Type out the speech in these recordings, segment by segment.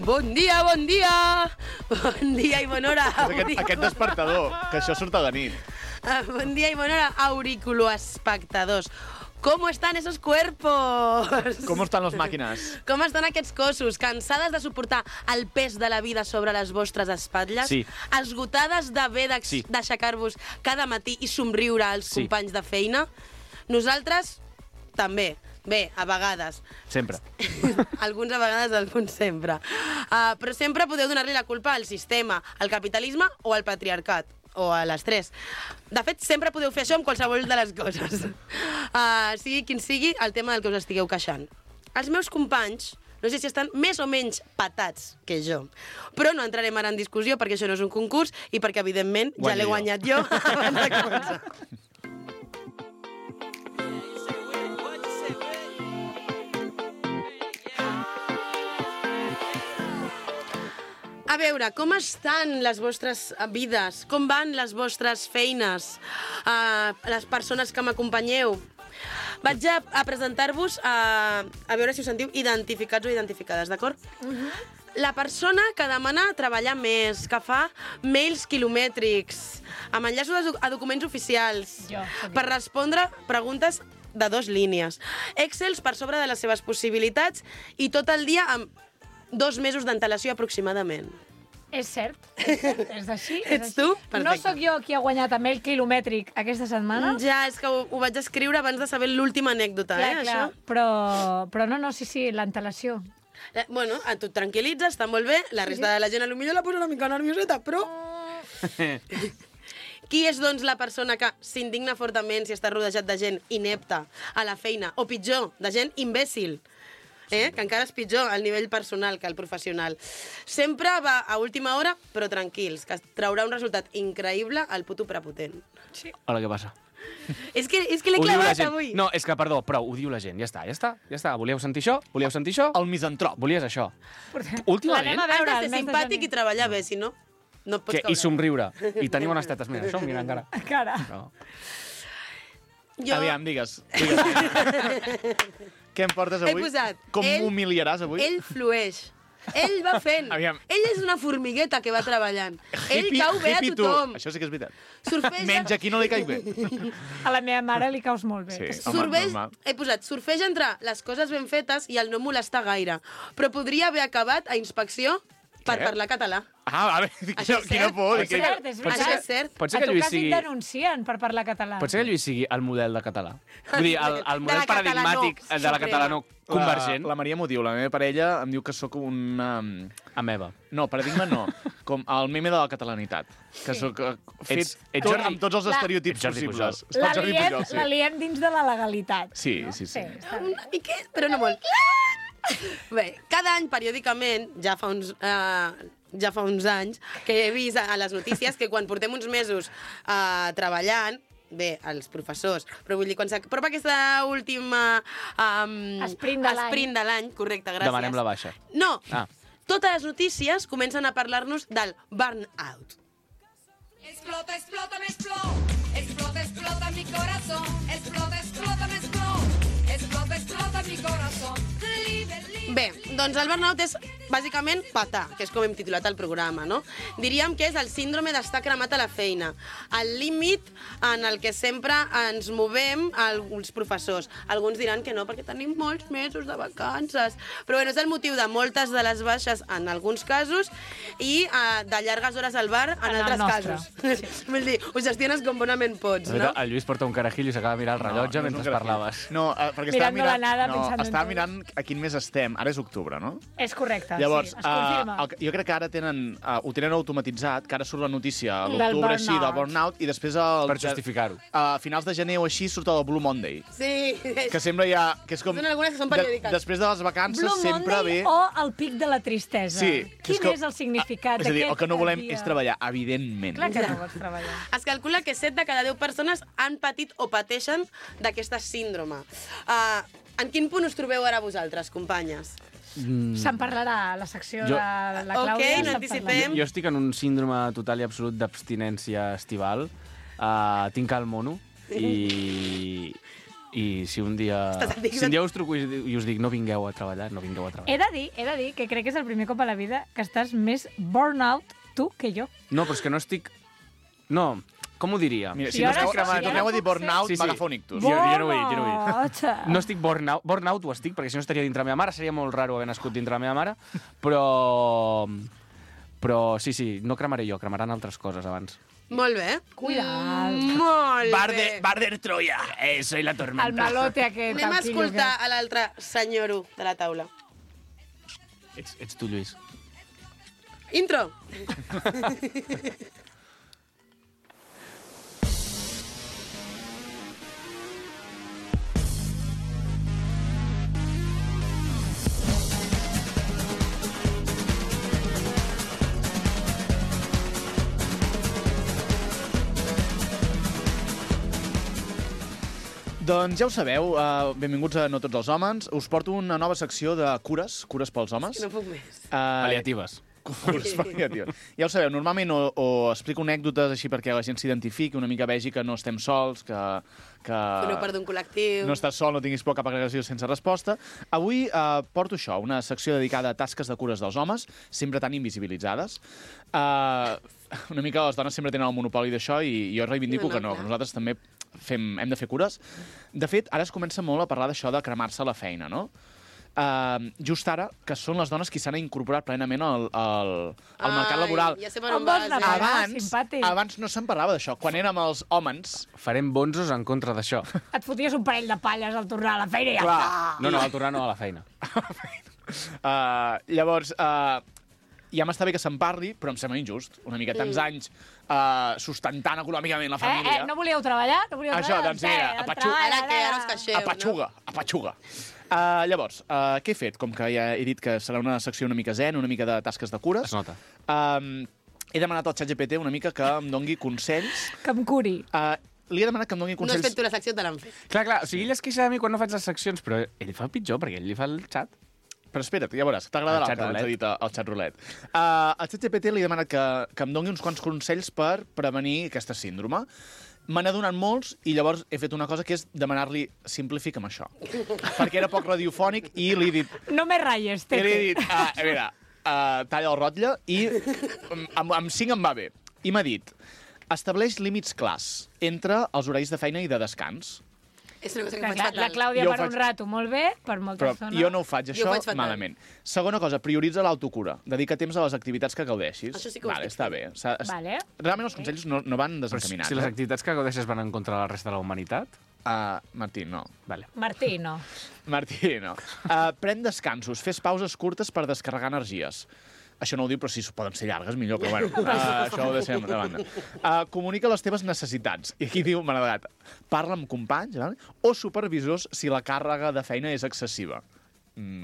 Bon dia, bon dia! Bon dia i bona hora. Aquest despertador, que això surt a la nit. Bon dia i bona hora, auriculoespectadors. ¿Cómo están esos cuerpos? Com estan les màquines? Com estan aquests cossos? Cansades de suportar el pes de la vida sobre les vostres espatlles? Sí. Esgotades d'haver d'aixecar-vos cada matí i somriure als companys de feina? Nosaltres també. Bé, a vegades. Sempre. Alguns a vegades, alguns sempre. Però sempre podeu donar-li la culpa al sistema, al capitalisme o al patriarcat. O a les tres. De fet, sempre podeu fer això amb qualsevol de les coses. Sigui quin sigui el tema del que us estigueu queixant. Els meus companys, no sé si estan més o menys patats que jo, però no entrarem ara en discussió perquè això no és un concurs i perquè, evidentment, ja l'he guanyat jo abans de començar. A veure, com estan les vostres vides? Com van les vostres feines? Les persones que m'acompanyeu? Vaig a presentar-vos a veure si us sentiu identificats o identificades, d'acord? La persona que demana treballar més, que fa mails quilomètrics, amb enllaços a documents oficials, per respondre preguntes de 2 línies, Excels per sobre de les seves possibilitats i tot el dia amb 2 mesos d'antelació aproximadament. És cert, és així. Ets tu? Perfecte. No sóc jo qui ha guanyat amb el quilomètric aquesta setmana? Ja, és que ho vaig escriure abans de saber l'última anècdota, clar, això. Però no, sí, l'antelació. Bueno, a tu et tranquil·litzes, està molt bé, la resta de la gent potser la posa una mica nervioseta, però... Qui és, doncs, la persona que s'indigna fortament si està rodejat de gent inepta a la feina, o pitjor, de gent imbècil? Que encara és pitjor al nivell personal que al professional. Sempre va a última hora, però tranquils, que traurà un resultat increïble al puto prepotent. Sí. Hola, què passa? És que l'he clavat avui. No, és que, perdó, prou, ho diu la gent. Ja està. Volíeu sentir això? El misantrop. Volies això. Últimament? Has de ser simpàtic i treballar bé, si no, no pots caure. I somriure. I tenir bones tetes. Mira, això, mira, encara. Encara. No. Aviam, digues. Què em portes avui? He posat. Com m'humiliaràs avui? Ell flueix. Ell va fent. Aviam. Ell és una formigueta que va treballant. Ell cau bé a tothom. Això sí que és veritat. Surfeja... Menys a qui no li caic bé. A la meva mare li caus molt bé. Sí, home, normal. He posat, surfeja entre les coses ben fetes i el no molestar gaire. Però podria haver acabat a inspecció per parlar català. A veure, quina por. És cert, és veritat. Això és cert. Pot ser A que tu Lluís quasi sigui... et denuncien per parlar català. Pot ser que Lluís sigui el model de català. Vull dir, el model paradigmàtic de la catalano convergent. La Maria m'ho diu, la meva parella em diu que sóc una... Ameba. No, paradigma no. Com el meme de la catalanitat. Que sóc fet amb tots els estereotips possibles. La liem dins de la legalitat. Sí. Una miqueta, però no molt. Bé, cada any, periòdicament, ja fa uns anys, que he vist a les notícies que quan portem uns mesos treballant, bé, els professors, però vull dir, quan s'apropa aquesta última Sprint de l'any, correcte, gràcies. Demanem la baixa. No, totes les notícies comencen a parlar-nos del burnout. Explota, explota, me explota. Explota, explota mi corazón. Explota, explota, me explota. Explota, explota mi corazón. Bé, doncs el burnout és bàsicament patar, que és com hem titulat el programa, no? Diríem que és el síndrome d'estar cremat a la feina, el límit en el que sempre ens movem els professors. Alguns diran que no, perquè tenim molts mesos de vacances, però bueno, és el motiu de moltes de les baixes en alguns casos i de llargues hores al bar en altres casos. Sí. Vull dir, ho gestiones com bonament pots, no? El Lluís porta un carajillo i s'acaba de mirar el rellotge mentre parlaves. No, perquè estava mirant a quin mes estem. Ara és octubre, no? És correcte, llavors, sí, es confirma. Jo crec que ara ho tenen automatitzat, que ara surt la notícia a l'octubre així del burnout i després... Per justificar-ho. A finals de gener o així surt el Blue Monday. Sí. Que sembla ja... Que és com, són algunes que són periòdiques. Després de les vacances sempre ve... Blue Monday o el pic de la tristesa. Sí. Quin és el significat d'aquest dia? És a dir, el que no volem dia? és treballar, evidentment. Clar que no vols treballar. Es calcula que 7 de cada 10 persones han patit o pateixen d'aquesta síndrome. En quin punt us trobeu ara vosaltres, companyes? Se'n parlarà a la secció de la Clàudia. Ok, n'anticipem. Jo estic en un síndrome total i absolut d'abstinència estival. Tinc el mono i I si un dia us truco i us dic no vingueu a treballar, no vingueu a treballar. He de dir que crec que és el primer cop a la vida que estàs més burnout tu que jo. No, però és que no estic... No, com ho diria? Mira, si no esteu cremant, torneu a dir burnout, m'agafo un ictus. Jo no ho he dit. No estic burnout ho estic, perquè si no estaria dintre la meva mare, seria molt raro haver nascut dintre la meva mare, però sí, no cremaré jo, cremaran altres coses abans. Molt bé. Cuida't. Molt bé. Barder Troya, soy la tormenta. El malote aquest. Anem a escoltar a l'altre senyoro de la taula. Ets tu, Lluís. Intro. Doncs ja ho sabeu, benvinguts a No tots els homes. Us porto una nova secció de cures pels homes. No puc més. Paliatives. Cures paliatives. Ja ho sabeu, normalment o explico anècdotes així perquè la gent s'identifiqui, una mica vegi que no estem sols, que no part d'un col·lectiu. No estàs sol, no tinguis por cap agregació sense resposta. Avui porto això, una secció dedicada a tasques de cures dels homes, sempre tan invisibilitzades. Una mica les dones sempre tenen el monopoli d'això i jo reivindico que no, nosaltres també hem de fer cures. De fet, ara es comença molt a parlar d'això de cremar-se a la feina, no? Just ara, que són les dones qui s'han incorporat plenament al mercat laboral. Ja sé per on vas, Abans no se'n parlava d'això. Quan érem els homes... Farem bonzos en contra d'això. Et foties un parell de palles al tornar a la feina i ja està. No, al tornar no, a la feina. Llavors, ja m'està bé que se'n parli, però em sembla injust. Una mica tants anys sustentant econòmicament la família. No volíeu treballar? Això, doncs mira, apatxuga. Llavors, què he fet? Com que ja he dit que serà una secció una mica zen, una mica de tasques de cures. Es nota. He demanat al ChatGPT una mica que em dongui consells. Que em curi. Li he demanat que em dongui consells... No has fet tu la secció, te l'han fet. Clar, o sigui, ell es queixa de mi quan no faig les seccions, però ell fa pitjor, perquè ell li fa el xat. Però espera't, ja veuràs, t'agradarà el que ens ha dit el xat roulette. Al ChatGPT li he demanat que em dongui uns quants consells per prevenir aquesta síndrome. Me n'ha donat molts i llavors he fet una cosa que és demanar-li simplifica'm això. Perquè era poc radiofònic i li he dit... No me ratlles, Tete. I li he dit, a veure, talla el rotlle i amb 5 em va bé. I m'ha dit, estableix límits clars entre els horaris de feina i de descans. És una cosa que faig fatal. La Clàudia per un rato molt bé, per molta estona. Però jo no ho faig, això, malament. Segona cosa, prioritza l'autocura. Dedica temps a les activitats que gaudeixis. Això sí que ho estic està bé. Realment els consells no van desencaminats. Si les activitats que gaudeixes van en contra de la resta de la humanitat... Martí, no. Vale. Martí, no. Pren descansos, fes pauses curtes per descarregar energies. Això no ho diu, però si poden ser llargues, millor, però bueno, això ho deixem de banda. Comunica les teves necessitats. I aquí diu, m'ha agradat, parla amb companys o supervisors si la càrrega de feina és excessiva.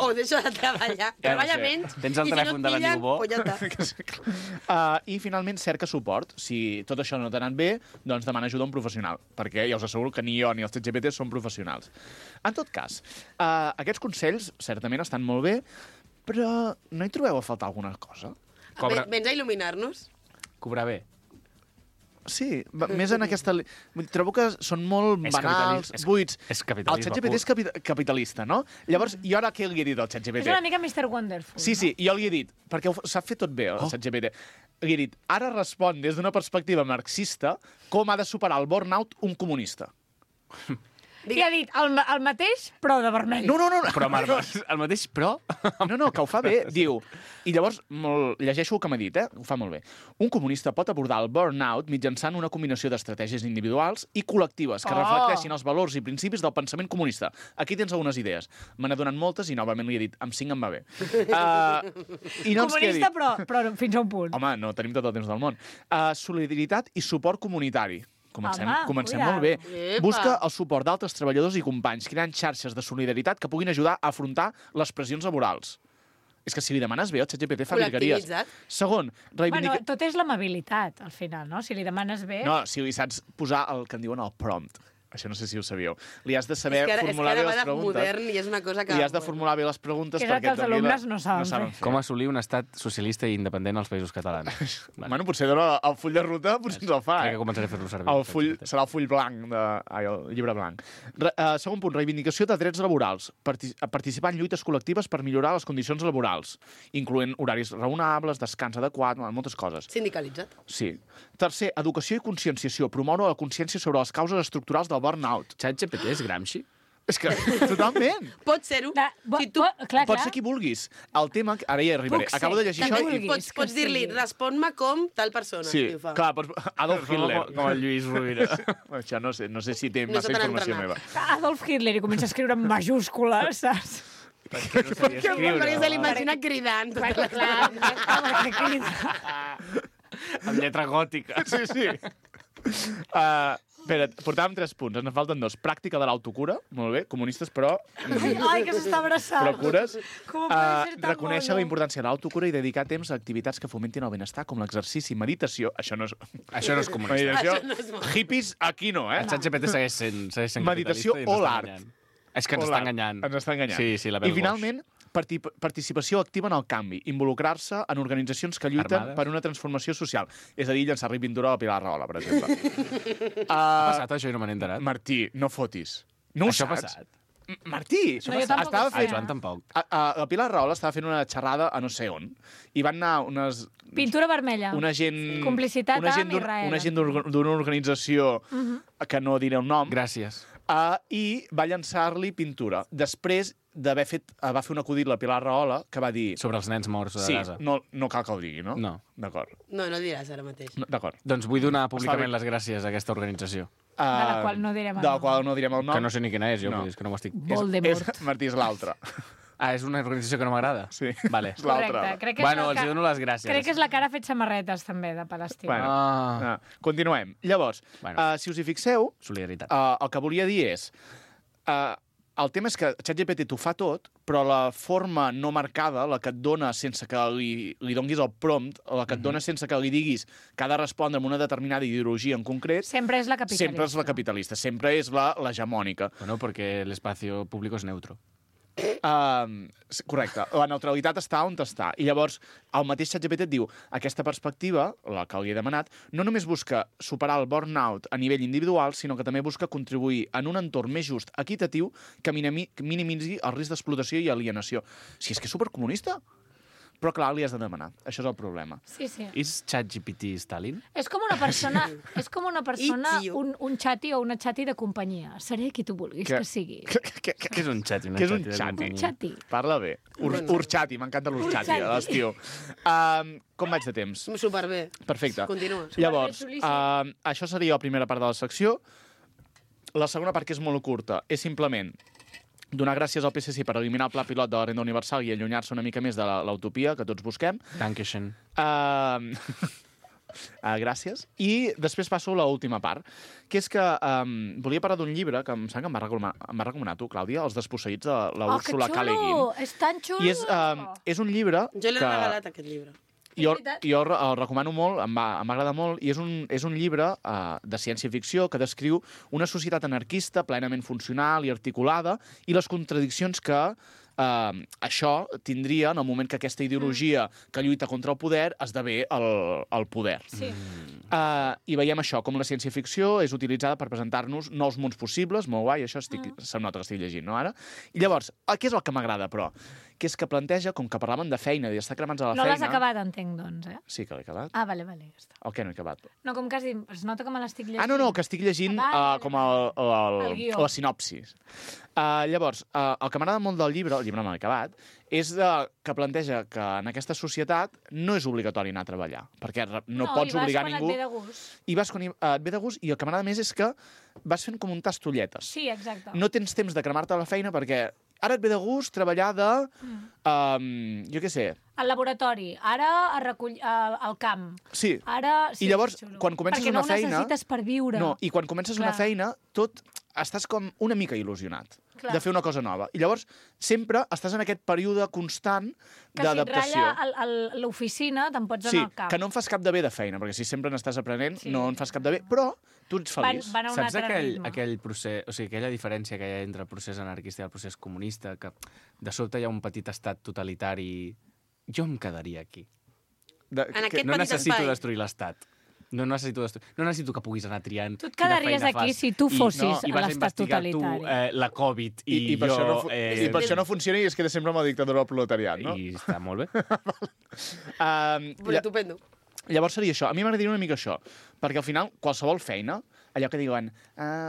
O deixa de treballar. Treballa menys. Tens el telèfon de l'amic bo. I finalment cerca suport. Si tot això no t'ha anat bé, doncs demana ajuda a un professional, perquè ja us asseguro que ni jo ni els ChatGPT són professionals. En tot cas, aquests consells certament estan molt bé, però no hi trobeu a faltar alguna cosa? Vens a il·luminar-nos? Cobrar bé. Sí, més en aquesta... Trobo que són molt banals, buits. És capitalisme. El ChatGPT és capitalista, no? Llavors, i ara què li he dit al ChatGPT? És una mica Mr. Wonderful. Sí, jo li he dit, perquè ho sap fer tot bé, el ChatGPT. Li he dit, ara respon des d'una perspectiva marxista com ha de superar el burnout un comunista. I ha dit el mateix, però de vermell. No. Però el mateix, però... No, que ho fa bé. Diu, i llavors llegeixo el que m'ha dit, ho fa molt bé. Un comunista pot abordar el burnout mitjançant una combinació d'estratègies individuals i col·lectives que reflecteixin els valors i principis del pensament comunista. Aquí tens algunes idees. Me n'ha donat moltes i novament li he dit, amb 5 em va bé. Comunista, però fins a un punt. Home, no tenim tot el temps del món. Solidaritat i suport comunitari. Comencem molt bé. Busca el suport d'altres treballadors i companys, creant xarxes de solidaritat que puguin ajudar a afrontar les pressions laborals. És que si li demanes bé, el ChatGPT fa virgueries. Segon, Bueno, tot és l'amabilitat, al final, no? Si li demanes bé... No, si li saps posar el que en diuen el prompt. Això no sé si ho sabíeu. Li has de saber És que formular bé ara va les de preguntes. modern i és una cosa que... Li has de formular bé les preguntes Que és el perquè que els et doni alumnes no saben fer. Com assolir un estat socialista i independent als països catalans. Bueno, potser dona el full de ruta, potser ens el fa. Crec que començaré a fer-lo servir. Serà el full blanc, el llibre blanc. Segon punt, reivindicació de drets laborals. Participar en lluites col·lectives per millorar les condicions laborals, incloent horaris raonables, descans adequat, moltes coses. Sindicalitzat. Sí. Tercer, educació i conscienciació. Promoure la consciència sobre les causes estructurals del burnout. ChatGPT és Gramsci? És que, totalment. Pot ser-ho. Si tu... Pot ser qui vulguis. El tema... Ara hi arribaré. Puc ser. Acabo de llegir Que això vulguis. i... Pots dir-li, respon-me com tal persona. Sí, I ho fa. clar, Adolf Hitler. Com el Lluís Rovira. Això no sé si té No massa està tan informació entrenat. meva. Adolf Hitler i comença a escriure en majúscules, saps? Perquè se l'imagina cridant. Amb lletra gòtica. Sí, sí. Espera, portàvem 3 punts, ens en falten 2. Pràctica de l'autocura, molt bé, comunistes, però... Ai, que s'està abraçant. Però cures. Com pot ser tan Reconèixer mono? la importància de l'autocura i dedicar temps a activitats que fomentin el benestar, com l'exercici, meditació... Això no és... Això no és comunista. Meditació, Això no és molt. hippies, aquí no, eh? El ChatGPT segueix sent Meditació capitalista i ens o està l'art. enganyant. És que ens O està l'art. enganyant. Ens està enganyant. Sí, la veu I finalment, participació activa en el canvi, involucrar-se en organitzacions que lluiten Armades. per una transformació social. És a dir, llançar-li pintura a la Pilar Rahola, per exemple. Ha passat això i no me n'he enterat. Martí, no fotis. No ho Això ha saps? passat. Martí! No, jo tampoc estava ho sé. El fent... Joan tampoc. La Pilar Rahola estava fent una xerrada a no sé on i van anar Pintura vermella. una gent... Complicitat una gent amb d'un- Israel. Una gent d'una organització que no diré el nom Gràcies. i va llançar-li pintura. Després d'haver fet... Va fer un acudit la Pilar Rahola que va dir... Sobre els nens morts de Sí, Gaza. no cal que el digui, no? No. D'acord. No diràs ara mateix. D'acord. Doncs vull donar Està públicament bé. les gràcies a aquesta organització. De la qual no direm el De la nom. qual no direm el nom. Que no sé ni quina és, jo, No. vull dir, és que no ho estic... Voldemort. Martí, és l'altra. Ah, és una organització que no m'agrada? Sí. Vale. És l'altra. Correcte. Crec que Bueno, és els la dono les gràcies. Crec que és la que ara ha fet samarretes, també, de Palestina. Bueno. Continuem. Llavors, Bueno. si us hi fixeu, Solidaritat. el que volia dir és... el tema és que ChatGPT t'ho fa tot, però la forma no marcada, la que et dona sense que li donguis el prompt, la que et dona sense que li diguis que ha de respondre amb una determinada ideologia en concret, Sempre és la capitalista. sempre és la capitalista, sempre és l'hegemònica. Bueno, perquè l'espacio público és neutro. Correcte, la neutralitat està on està. I llavors, el mateix ChatGPT et diu aquesta perspectiva, la que li he demanat, no només busca superar el burnout a nivell individual, sinó que també busca contribuir en un entorn més just, equitatiu, que minimitzi el risc d'explotació i alienació. Si és que és supercomunista. Però, clar, li has de demanar. Això és el problema. Sí, sí. És ChatGPT Stalin? És com una persona, It's you. un xati o una xati de companyia. Seré qui tu vulguis que sigui. Què Què és un xati? Què és un xati? Un xati. Parla bé. Urxati, m'encanta l'urxati, Urxati. a l'estiu. Com vaig de temps? Superbé. Perfecte. Continua. Llavors, xulíssim. això seria la primera part de la secció. La segona part, que és molt curta, és simplement donar gràcies al PSC per eliminar el pla pilot de la renda universal i allunyar-se una mica més de l'utopia que tots busquem. Dankeschön. Gràcies. I després passo a l'última part, que és que volia parlar d'un llibre que em sembla que em va recomanar tu, Clàudia, Els desposseïts de la Úrsula K. Le Guin. És tan xulo! I és un llibre Jo l'he que regalat, aquest llibre. jo veritat. el recomano molt, em va agradar molt, i és un llibre de ciència-ficció que descriu una societat anarquista plenament funcional i articulada i les contradiccions que això tindria en el moment que aquesta ideologia que lluita contra el poder esdevé el poder. Sí. I veiem això, com la ciència-ficció és utilitzada per presentar-nos nous mons possibles, molt guai, això se'm nota que estic llegint, no, ara? I llavors, què és el que m'agrada, però? Que és que planteja, com que parlaven de feina i d'estar cremats a la No feina... l'has acabat, entenc, doncs, eh? Sí que l'he acabat. Ah, vale, ja està. El què no he acabat? No, com que has dit, es nota que me l'estic llegint. No, que estic llegint Vale, com El guió. la sinopsis. Llavors, el que m'agrada molt del llibre, el llibre no l'he acabat, és que planteja que en aquesta societat no és obligatori anar a treballar, perquè no pots obligar ningú. No, i vas quan et ve de gust. I vas quan et ve de gust, i el que m'agrada més és que vas fent com un tastolletes. Sí, exacte. No tens temps de cremar-te a la feina perquè ara et ve de gust treballar de... jo què sé. Al laboratori, ara a al camp. Sí. Ara... Sí, I llavors, és xulo. quan comences una feina... Perquè no ho necessites per viure. No, i quan comences una Clar. feina, estàs com una mica il·lusionat. Clar. de fer una cosa nova. I llavors sempre estàs en aquest període constant Que si et d'adaptació. ratlla l'oficina, te'n pots Sí, anar al camp. que no en fas cap de bé de feina, perquè si sempre n'estàs aprenent, Sí. no en fas cap de bé, però tu ets feliç. Van a un Saps altre ritme. aquell procés, o sigui, aquella diferència que hi ha entre el procés anarquista i el procés comunista, que de sobte hi ha un petit estat totalitari... Jo em quedaria aquí. En aquest No petit necessito espai. destruir l'estat. No necessito que puguis anar triant Tu et quina quedaries feina aquí fas. si tu fossis I vas a l'estat investigar totalitari. tu la Covid I per jo... això no, I per això no funciona i es queda sempre amb la dictadura del proletariat, no? I està molt bé. Però estupendo. Llavors seria això. A mi m'agradaria una mica això, perquè al final qualsevol feina, allò que diuen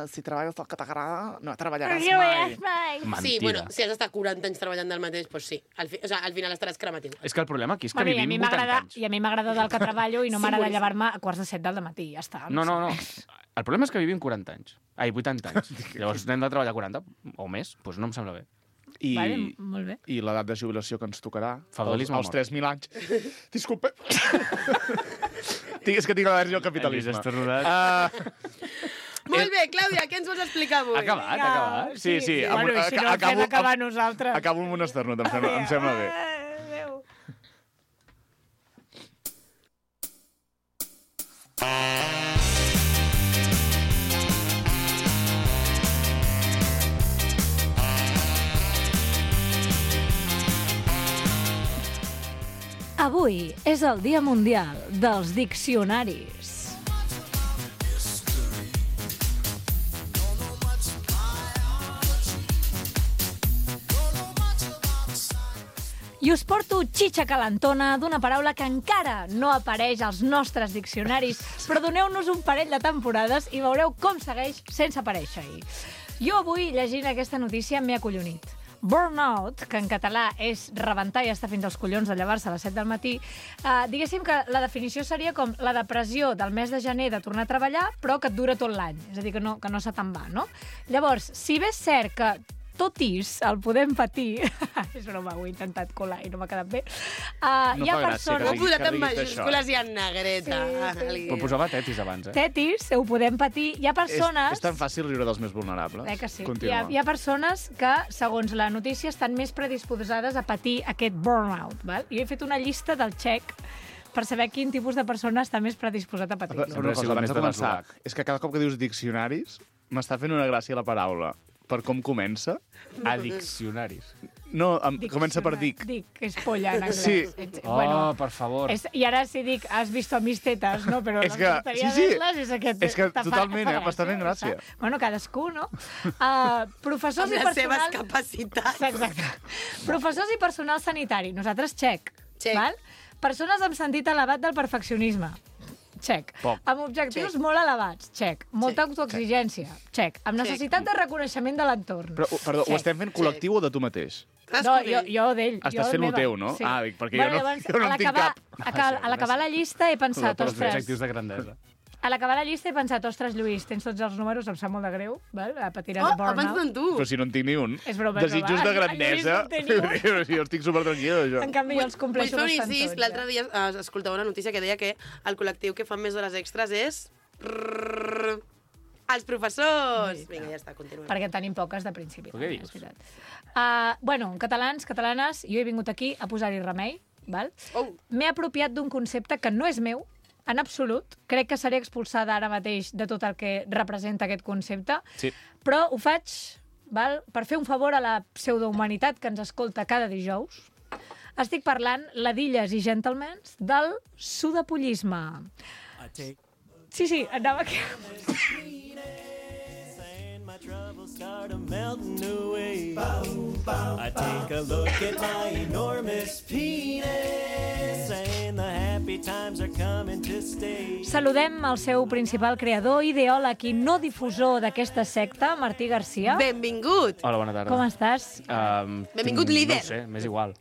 si treballes el que t'agrada, no treballaràs mai. Mentida. Sí, bueno, si has d'estar 40 anys treballant del mateix, doncs sí. Al final estaràs crematiu. És que el problema aquí és que Bueno, vivim 80 anys. I a mi m'agrada del que treballo i no Sí, m'agrada bueno. llevar-me a quarts de 7 del matí, ja està. No. sé. El problema és que vivim 40 anys. 80 anys. Llavors n'hem de treballar 40 o més, doncs no em sembla bé. I, Vale, molt bé. i l'edat de jubilació que ens tocarà, Feudalisme als mort. 3.000 anys. Disculpa. És que tinc al·lèrgia al capitalisme. Hem vist estornudat. Molt bé, Clàudia, què ens vols explicar avui? Ha acabat. Sí. Bueno, i si no, fem acabar nosaltres. Acabo amb un esternut, em sembla bé. Adéu. Avui és el Dia Mundial dels Diccionaris. I us porto xitxa calentona d'una paraula que encara no apareix als nostres diccionaris, però doneu-nos un parell de temporades i veureu com segueix sense aparèixer-hi. Jo avui, llegint aquesta notícia, m'he acollonit. Burnout, que en català és rebentar i estar fins als collons de llevar-se a les 7 del matí, diguéssim que la definició seria com la depressió del mes de gener de tornar a treballar, però que et dura tot l'any. És a dir, que no se te'n va, no? Llavors, si bé és cert que tot el podem patir, és broma, ho he intentat colar i no m'ha quedat bé, hi ha fa gràcia Ho persones... he que posat en diguis majúscules i en negreta. Però posava tetis abans, eh? Tetis, ho podem patir. Hi ha persones... És tan fàcil riure dels més vulnerables. Que sí. Continua. Hi ha persones que, segons la notícia, estan més predisposades a patir aquest burnout. Val? Jo he fet una llista del xec per saber quin tipus de persona està més predisposat a patir-lo. Però una Sempre ha cosa, sigut abans més de de començar, l'eslovac. és que cada cop que dius diccionaris m'està fent una gràcia la paraula. Per com comença. A diccionaris. No, comença per dic. Dic, que és polla en anglès. Sí. Oh, per favor. I ara si dic, has visto mis tetes, no? Però És no que- m'agradaria sí. verles, és aquest... És que te fa- totalment, fa m'està fent gràcia. Bueno, cadascú, no? Professors Amb i les seves personal... capacitats. Exacte. Professors i personal sanitari. Nosaltres, xec. Check. Val? Persones amb sentit elevat del perfeccionisme. Check. Poc. Amb objectius molt elevats. Check. Molta autoexigència. Check. Amb necessitat de reconeixement de l'entorn. Però, perdó, ho Check. estem fent col·lectiu o de tu mateix? No, jo d'ell. Estàs fent lo teu, no? Ah, dic, perquè jo no- jo no en tinc cap. A l'acabar la llista he pensat, Els ostres, objectius de grandesa. a l'acabar la llista he pensat, ostres, Lluís, tens tots els números, em sap molt de greu, val? Patiràs Oh, burnout. abans d'en tu. Però si no en tinc ni un. És broma, és Desitjos broma. de grandesa. En Lluís no en té ni Jo estic supertranquil, això. En canvi, jo els Vull compleixo fer un bastant incís. tots. L'altre dia escoltava una notícia que deia que el col·lectiu que fan més hores extres és... Els professors! Vinga, ja està, continuem. Perquè en tenim poques de principi. Però què també, dius? és veritat. Bueno, catalans, catalanes, jo he vingut aquí a posar-hi remei, val? Oh. M'he apropiat d'un concepte que no és meu, en absolut. Crec que seré expulsada ara mateix de tot el que representa aquest concepte. Sí. Però ho faig, val? Per fer un favor a la pseudohumanitat que ens escolta cada dijous. Estic parlant, ladilles i gentlemans, del sudapollisme. Sí, anava aquí. My troubles start melting away. I take a look at my enormous penis, saying the happy times are coming to stay. Saludem el seu principal creador, ideòleg i no difusor d'aquesta secta, Martí Garcia. Benvingut! Hola, bona tarda. Com estàs? Benvingut, líder. No ho sé, m'és igual.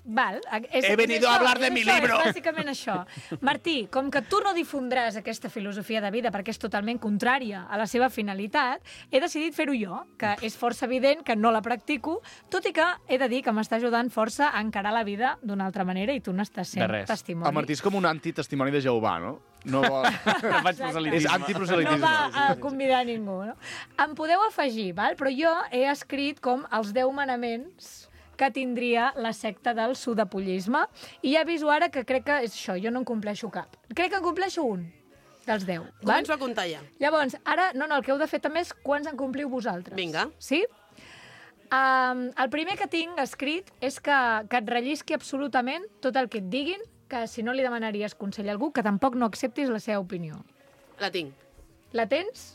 Val, He venido a hablar de mi libro. És bàsicament això. Martí, com que tu no difondràs aquesta filosofia de vida perquè és totalment contrària a la seva finalitat, he decidit fer-ho jo, que és força evident que no la practico, tot i que he de dir que m'està ajudant força a encarar la vida d'una altra manera i tu n'estàs sent testimoni. El Martí és com un antitestimoni de Jehovà, no? No vol... No faig proselitisme. És antiproselitisme. No va a convidar ningú, no? Em podeu afegir, val? Però jo he escrit com els 10 manaments que tindria la secta del sudapollisme, i ja aviso ara que crec que és això, jo no en compleixo cap. Crec que en compleixo un dels 10. Començo a comptar ja. Llavors, ara, el que heu de fer també és quants en compliu vosaltres. Vinga. Sí? El primer que tinc escrit és que et rellisqui absolutament tot el que et diguin, que si no li demanaries consell a algú, que tampoc no acceptis la seva opinió. La tinc. La tens?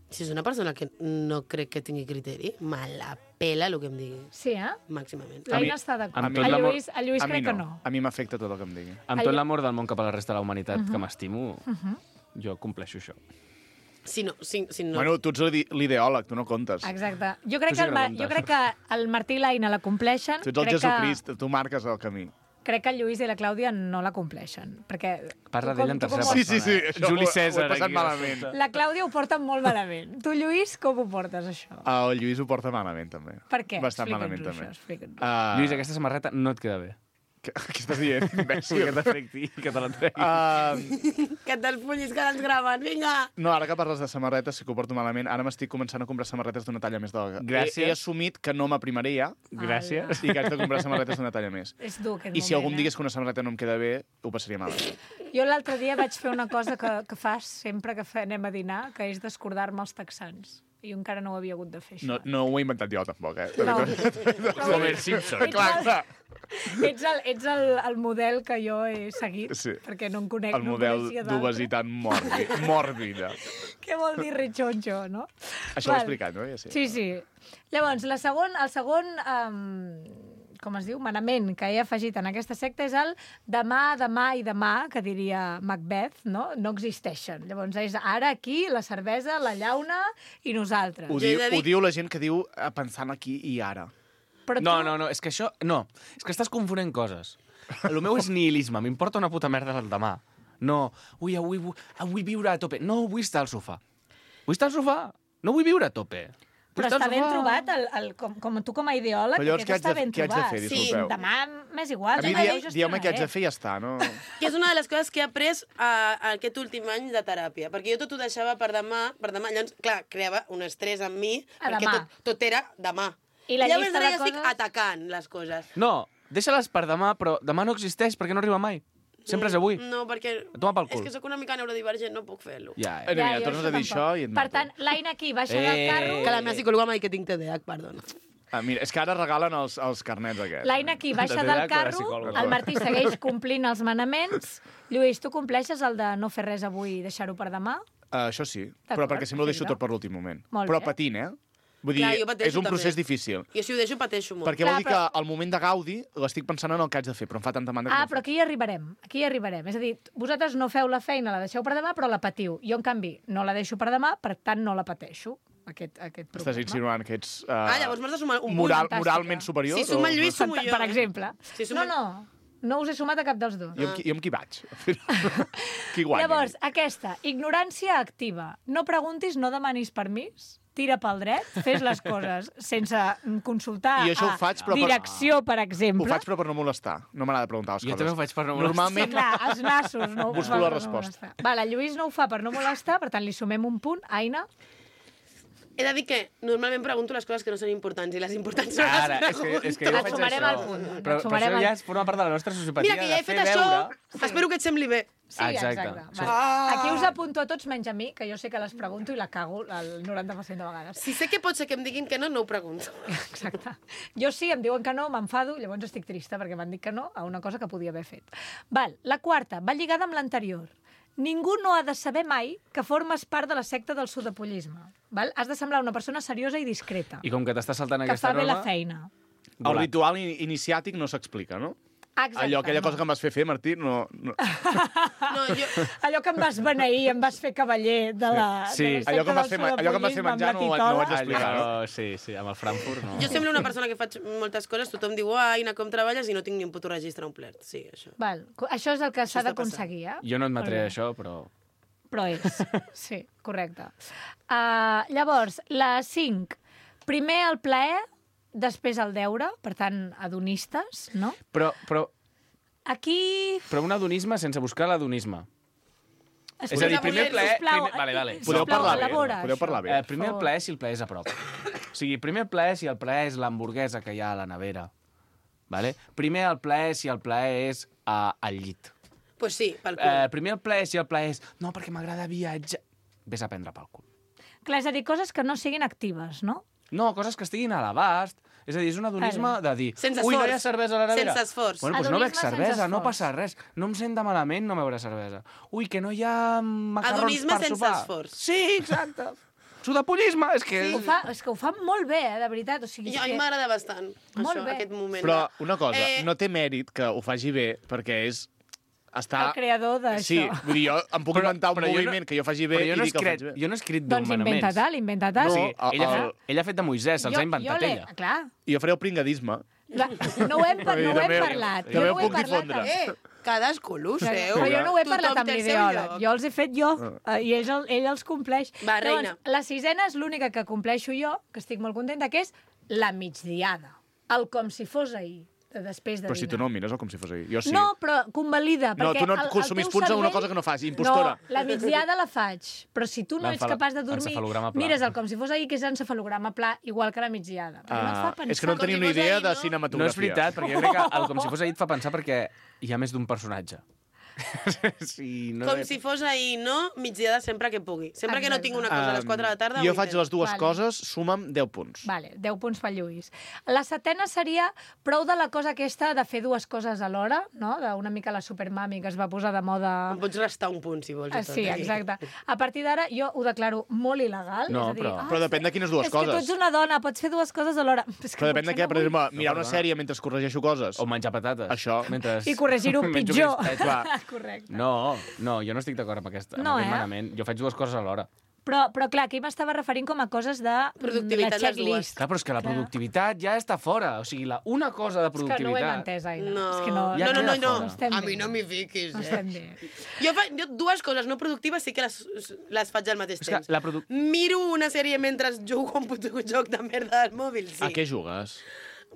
Si és una persona que no crec que tingui criteri, me la pela el que em digui. Sí, Màximament. L'Aina està d'acord. amb tot A l'amor- Lluís crec que no. A mi m'afecta tot el que em digui. Amb tot l'amor del món cap a la resta de la humanitat que m'estimo, jo compleixo això. Si no. Bueno, tu ets l'ideòleg, tu no comptes. Exacte. Jo crec, Tu sí que no comptes. jo crec que el Martí i l'Aina la compleixen. Tu ets el Jesucrist, tu marques el camí. Crec que el Lluís i la Clàudia no la compleixen. Perquè Parla tu com- d'ella en tu com tercera ho- persona. Sí, això Juli ho he César. passat aquí. malament. La Clàudia ho porta molt malament. Tu, Lluís, com ho portes, això? El Lluís ho porta malament, també. Per què? Bastant Explica'ns malament, això, també. explica'ns. Lluís, aquesta samarreta no et queda bé. Què estàs dient, Sí, imbècil? que t'afecti i que te l'entregui. Que te'ls fullis que ens graven, vinga! No, ara que parles de samarretes, sí que ho porto malament. Ara m'estic començant a comprar samarretes d'una talla més d'alga. Gràcies. He assumit que no m'aprimaré ja Gràcies. i que haig de comprar samarretes d'una talla més. És dur, aquest I si algú em moment, digués que una samarreta no em queda bé, ho passaria malament. Jo l'altre dia vaig fer una cosa que fas sempre que anem a dinar, que és descordar-me els texans. I jo encara no ho havia hagut de fer, això. No ho he inventat jo, tampoc, eh? No. Homer Simpson. Clar. Ets el model que jo he seguit, Sí. perquè no en conec. El model no coneixia d'altre. d'obesitat mòrbida. Què vol dir rechoncho, no? Això ho he explicat, no? Ja sé. Sí. Llavors, el segon com es diu, manament que he afegit en aquesta secta és el demà, demà i demà, que diria Macbeth, no? No existeixen. Llavors és ara, aquí, la cervesa, la llauna i nosaltres. Ho diu la gent que diu pensant aquí i ara. Però No, és que això... No, és que estàs confonent coses. El meu és nihilisme, m'importa una puta merda el demà. No, vull viure a tope. No, vull estar al sofà. Vull estar al sofà. No vull viure a tope. Però està ben trobat, com tu com a ideòleg, Però llavors aquest està ben què haig de trobat. fer, Sí, disculpeu? demà m'és igual. A mi demà jo dieu-me què haig de gestionaré. fer i ja està, no? Que és una de les coses que he après aquest últim any de teràpia, perquè jo tot ho deixava per demà, llavors, clar, creava un estrès en mi, A perquè demà. tot era demà. I la llavors llista ara de ja estic coses? atacant les coses. No, deixa-les per demà, però demà no existeix perquè no arriba mai. Sempre és avui. No, perquè Toma pel cul. és que sóc una mica neurodivergent, no puc fer-lo. Ja, Mira, jo tornes a dir tampoc. això i et Per mato. tant, l'Aina aquí baixa del carro. Que la meva psicòloga m'ha dit que tinc TDAH, perdona. Mira, és que ara regalen els carnets aquests. L'Aina aquí baixa De del TDAH o de carro, psicòloga? el Martí segueix complint els manaments. Lluís, tu compleixes el de no fer res avui i deixar-ho per demà? Això sí, però D'acord, perquè sempre ho deixo perfecte. tot per l'últim moment. Molt Però bé. patint, eh? Vull dir, Clar, jo pateixo és un procés també. difícil. Jo si ho deixo, pateixo molt. Perquè Clar, vol dir però- que al moment de gaudi l'estic pensant en el que haig de fer, però em fa tanta mandra que no ho Però aquí hi arribarem. És a dir, vosaltres no feu la feina, la deixeu per demà, però la patiu. Jo, en canvi, no la deixo per demà, per tant, no la pateixo, aquest problema. Estàs insinuant que ets Llavors m'has de sumar un punt. fantàstica. moralment superior? Si suma o- el Lluís, sumo jo. Per exemple. Si suma- No us he sumat a cap dels dos. Jo amb qui vaig? Qui guanya? Llavors, aquesta, ignorància activa. No preguntis, no demanis permís, tira pel dret, fes les coses sense consultar I això ho faig, però per- direcció, per Ho exemple. faig però per no molestar. No m'agrada preguntar les Jo coses. també ho faig per no molestar. Normalment, Clar, els nassos no ho Busco fa la per no resposta. molestar. Vale, el Lluís no ho fa per no molestar, per tant, li sumem un punt. Aina? He de dir que normalment pregunto les coses que no són importants i les importants no Ara, les és pregunto. que jo Et faig sumarem això. al punt. Et Però sumarem això ja al- forma part de la nostra sociopatia, Mira, que ja he de fer fet això, veure... espero que et sembli bé. Sí, Exacte. exacte. Vale. Ah. Aquí us apunto a tots, menys a mi, que jo sé que les pregunto i la cago el 90% de vegades. Si sé que pot ser que em diguin que no, no ho pregunto. Exacte. Jo sí, em diuen que no, m'enfado, llavors estic trista perquè m'han dit que no a una cosa que podia haver fet. Val, la quarta, va lligada amb l'anterior. Ningú no ha de saber mai que formes part de la secta del sudapollisme. Val? Has de semblar una persona seriosa i discreta, I com que t'estàs saltant que aquesta fa bé la norma... feina. el ritual iniciàtic no s'explica, no? Exacte. aquella cosa que em vas fer, Martí, no... No, jo... Allò que em vas beneir, em vas fer cavaller de la... Sí, de la allò que em vas secta fer, del allò que em vas fer sudapollisme menjar amb no la ho haig titola. d'explicar, no? Sí, amb el Frankfurt no. Jo semblo una persona que faig moltes coses, tothom diu, Aina, com treballes? I no tinc ni un puto registre omplert. Sí, això. Val, això és el que s'ha està d'aconseguir, eh? Jo no admetré Molt bé. això, però... Però és, sí, correcte. Llavors, la 5. Primer el plaer, després el deure, per tant, adonistes, no? Però Aquí... un adonisme sense buscar l'adonisme. És a dir, Escolta, primer plaer... sisplau, Vale. Podeu sisplau, parlar bé, elabora podeu això. parlar bé. Primer el plaer si el plaer és a prop. O sigui, primer el plaer si el plaer és l'hamburguesa que hi ha a la nevera. Vale? Primer el plaer si el plaer és al llit. Pues sí, pel cul. Primer el plaer si el plaer és... No, perquè m'agrada viatjar. Vés a prendre pel cul. Clar, és a dir, coses que no siguin actives, no? No, coses que estiguin a l'abast. És a dir, és un adonisme de dir... Sense Ui, no esforç. hi ha cervesa a la nevera. Sense esforç. Bueno, doncs no bec Adonisme sense cervesa, no esforç. passa res. No em sent de malament no beure cervesa. Ui, que no hi ha macarrons Adonisme per sense sopar. esforç. Sí, exacte. Sudapollisme, és que... És que ho fa molt bé, de veritat. O sigui, Jo, a mi m'agrada bastant, Molt això, bé. aquest moment. Però una cosa, Eh, no té mèrit que ho faci bé, perquè és... Està... el creador d'això. Sí, vull dir, jo em puc inventar un però jo no- moviment que jo faci bé Però jo i no dir que el faig bé. jo no he escrit Doncs nomenaments. inventa-te'l, inventa-te'l. No, Sí, el- ella ha fet de Moisès, els ha inventat l'he- ella. Clar, I jo faré el pringadisme. no ho hem També parlat. també Jo no ho ho he puc parlat. difondre. cadascú l'ho seu. Però jo no ho he parlat Tothom amb té el seu l'ideòleg. lloc. Jo els he fet jo, i ell els compleix. Va, reina. Llavors, la 6ena és l'única que compleixo jo, que estic molt contenta, que és la migdiada. El com si fos ahir, de després de Però si dinar. tu no ho mires el com si fos ahir. Jo sí. No, però convalida. No, perquè tu no el consumís teu punts en una cervell- cosa que no fas, impostora. No, la migdiada la faig, però si tu no ets capaç de dormir, encefalograma pla. mires el com si fos ahir, que és encefalograma pla, igual que la migdiada. Perquè no et fa pensar. És que no en Com tenia si una fos idea ahir, de no? cinematografia. No és veritat, perquè jo crec que el com si fos ahir et fa pensar perquè hi ha més d'un personatge. Sí, no Com si fos ahir, no? Migdiada sempre que pugui. Sempre que no tinc una cosa a les 4 de la tarda... Jo ho faig intento. les dues Vale. coses, suma'm 10 punts. Vale, 10 punts pel Lluís. La 7ena seria prou de la cosa aquesta de fer dues coses alhora, no? D'una mica la supermami que es va posar de moda... Em pots restar un punt, si vols. i tot, Sí, eh? exacte. A partir d'ara jo ho declaro molt il·legal. No, és a dir, però- Però depèn de quines dues és que tu coses. ets una dona, pots fer dues coses alhora. És que Però depèn de potser què, per no vull. exemple, mirar una perdona. sèrie mentre corregeixo coses. O menjar patates. Això. Mentre... I corregir-ho menjo pitjor. crispetes. Clar. Correcte. No, jo no estic d'acord amb aquest No, manament. Jo faig dues coses alhora. Però clar, aquí m'estava referint com a coses de Productivitat, la les dues. checklist. Clar, però és que la Clar. productivitat ja està fora. O sigui, una cosa de És que no ho productivitat... hem entès, Aina. No, És que no, Ja no, no, queda no, fora. no. estem A bé. mi no m'hi fiquis, No estem bé. Jo dues coses no productives sí que les faig al mateix És que temps. la Miro una sèrie mentre jugo a un puto joc de merda del mòbil, sí. A què jugues?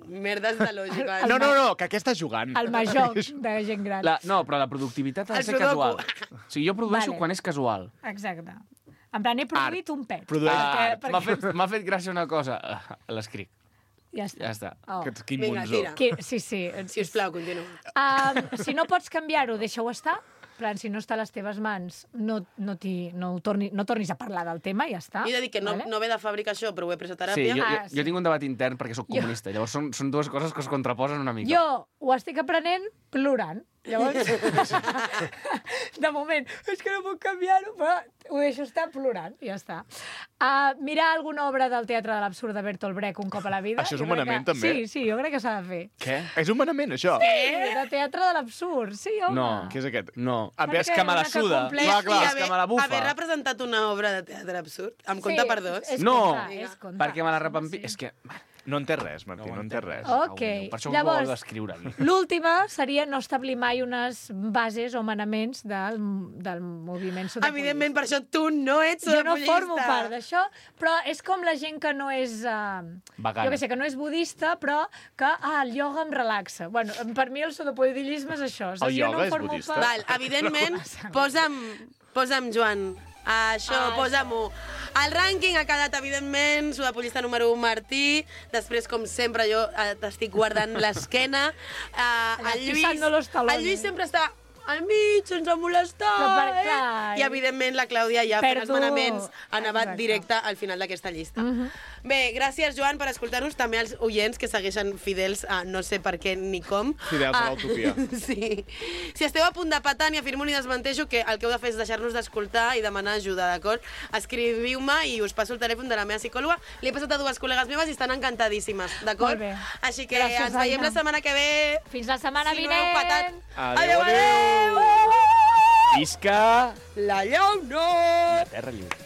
Merdes de lògica. No, que què estàs jugant? El major de gent gran. No, però la productivitat ha de El ser sudoku. casual. O sigui, jo produeixo Vale. quan és casual. Exacte. En plan, he produït un pet. Produeix- M'ha fet gràcia una cosa. L'escric. Ja està. Ja està. Oh. Quin Vinga, monzó. tira. Sí. Sisplau, continua. Si no pots canviar-ho, deixa-ho estar. En plan, si no està a les teves mans, no tornis a parlar del tema, ja està. Jo he de dir que no, Vale? no ve de fàbrica això, però ho he pres a Sí, teràpia. jo tinc un debat intern perquè sóc comunista. Llavors són dues coses que es contraposen una mica. Jo ho estic aprenent plorant. Llavors, de moment, és que no puc canviar-ho, però ho deixo estar plorant, i ja està. Mirar alguna obra del Teatre de l'Absurd de Bertolt Brecht un cop a la vida. Això és jo un crec manament, que... també? Sí, jo crec que s'ha de fer. Què? És un manament, això? De Teatre de l'Absurd, sí, home. No. Què és aquest? No. Perquè Ves que me la una que suda. compleix- Clar, clar. És que me la bufa. Haver representat una obra de teatre absurd, em compta per dos. És No, comptar, és comptar. perquè me la repampi... Sí. És que... No en té res, Martí, no en té res. Ok, Per això llavors- ho vol escriure aquí. L'última seria no establir mai unes bases o manaments del moviment sudapolista. Evidentment, per això tu no ets Jo no sudapolista. formo part d'això, però és com la gent que no és... Vegana. Jo que sé, que no és budista, però que el ioga em relaxa. Bueno, per mi el sudapollisme és això. El jo no ioga és formo budista? part- Val, evidentment, posa'm Joan. Això, posa'm-ho. El rànquing ha quedat, evidentment, sudapolista número 1, Martí. Després, com sempre, jo t'estic guardant l'esquena. El pisando los talones. El Lluís sempre està al mig, sense molestar. Però per clar. I, evidentment, la Clàudia ja fent els Perdo- manaments ha nevat Exacte. directe al final d'aquesta llista. Bé, gràcies, Joan, per escoltar-nos. També als oients que segueixen fidels a no sé per què ni com. Fidels a l'utopia. Sí. Si esteu a punt de patar, ni afirmo ni desmenteixo que el que heu de fer és deixar-nos d'escoltar i demanar ajuda, d'acord? Escriviu-me i us passo el telèfon de la meva psicòloga. Li he passat a 2 col·legues meves i estan encantadíssimes, d'acord? Molt bé. Així que Gràcies, ens veiem Aina. la setmana que ve. Fins la setmana Si no heu patat. vinent! Adéu, adéu! Visca La llauna! la terra lliure.